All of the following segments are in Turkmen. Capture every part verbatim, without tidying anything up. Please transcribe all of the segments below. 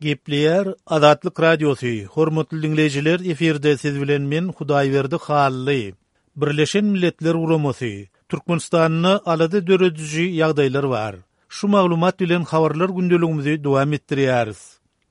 Gepleýär Azatlyk Radiosy, hormatly diňleýjiler, efirde siz bilen men Hudaýberdi Hally. Birleşen Milletler Guramasy Türkmenistanda alada dörediji ýagdaýlar bar. Şu maglumat bilen habarlar gündeligimizi dowam etdirýäris.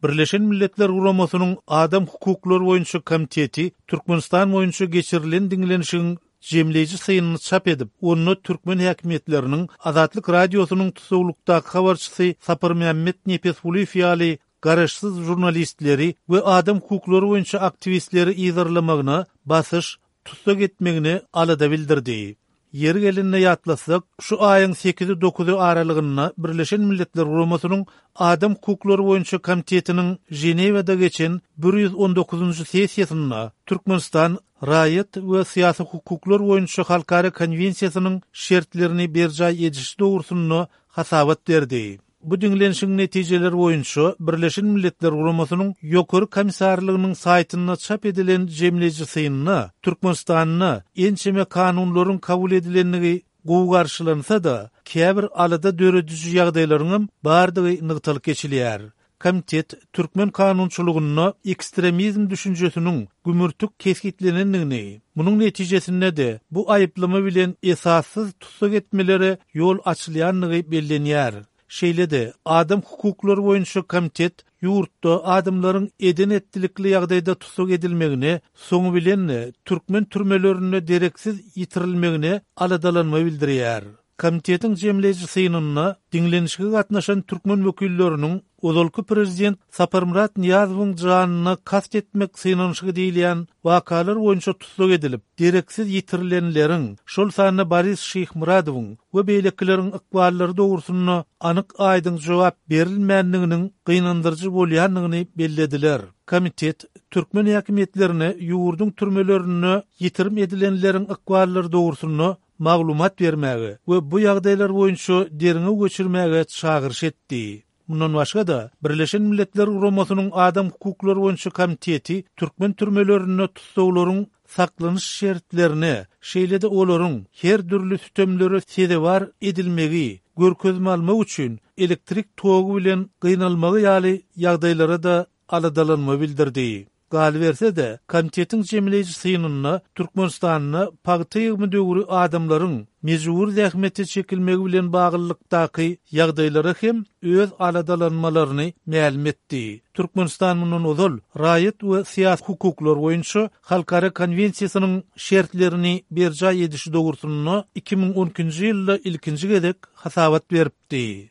Birleşen Milletler Guramasynyň Adam hukuklary boýunça komiteti Türkmenistan boýunça geçirilen diňlenişigiň jemleýji synyny çap edip, onda türkmen häkimiýetleriniň Azatlyk Radiosynyň tutuklukdaky habarçysy Saparmämmet Nepesgulyýew ýaly garaşsyz žurnalistleri we adam hukuklary boýunça aktiwistleri yzarlamagyna, basyş, tussag etmegine alada bildirdi. Ýeri gelende ýatlasak, şu aýyň sekizi dokuzy aralygynda Birleşen Milletler Guramasynyň Adam hukuklary boýunça komitetiniň Ženewada geçen bir ýüz on dokuzynjy sessiýasynda Türkmenistan raýat we syýasy hukuklar boýunça halkara konwensiýasynyň şertlerini berjaý edişi dogrusynda hasabat berdi. Bu diňlenişiň netijeleri boýunça Birleşen Milletler Guramasynyň Ýokary Komissarlygynyň saýtynda çap edilen jemleýji synda Türkmenistanda ençeme kanunlaryň kabul edilendigi gowy garşylansa-da, käbir alada dörediji ýagdaýlaryň bardygy nygtalyp geçilýär. Komitet türkmen kanunçylygynda ekstremizm düşünjesiniň gümürtik kesgitlenendigini, munuň netijesinde-de bu aýyplama bilen esassyz tussag etmelere ýol açylýandygy bellenýär. Şeýle-de adam hukuklary boýunça komitet ýurtda adamlaryň eden etdilikli ýagdaýda tussag edilmegine, soňy bilen türkmen türmelerinde dereksiz ýitirilmegine aladalanma bildirýär. Komitetiň jemleýji synynda diňlenişige gatnaşan türkmen wekilleriniň ozalky prezident Saparmyrat Nyýazowyň janyna kast etmek synanyşygy diýilýän wakalar boýunça tussag edilip, dereksiz ýitirilenleriň, şol sanda Boris Şyhmyradowyň we beýlekileriň ykballary dogrusynda anyk aýdyň jogap berilmändiginiň gynandyryjy bolýandygyny bellediler. Komitet türkmen häkimiýetlerine ýurduň türmelerinde ýitirim edilenleriň ykballary dogrusynda maglumat bermäge we bu ýagdaýlar boýunça derňew geçirmäge çagyryş etdi. Mundan başga-da Birleşen Milletler Guramasynyň Adam hukuklary boýunça komiteti türkmen türmelerinde tussaglaryň saklanyş şertlerine, şeýle-de olaryň her dürli sütemlere sezewar edilmegi, görkezme almak üçin elektrik togy bilen gynalmagy ýaly ýagdaýlara da aladalanma bildirdi. Galyberse-de, komitetiň jemleýji synynda Türkmenistanda pagta ýygymy döwri adamlaryň mejbur zähmete çekilmegi bilen baglylykdaky ýagdaýlara hem öz aladalanmalaryny mälim etdi. Türkmenistan mundan ozal raýat we syýasy hukuklar boýunça halkara konwensiýasynyň şertlerini berjaý edişi dogrusynda iki müň on ikinji ýylda ilkinji gezek hasabat beripdi.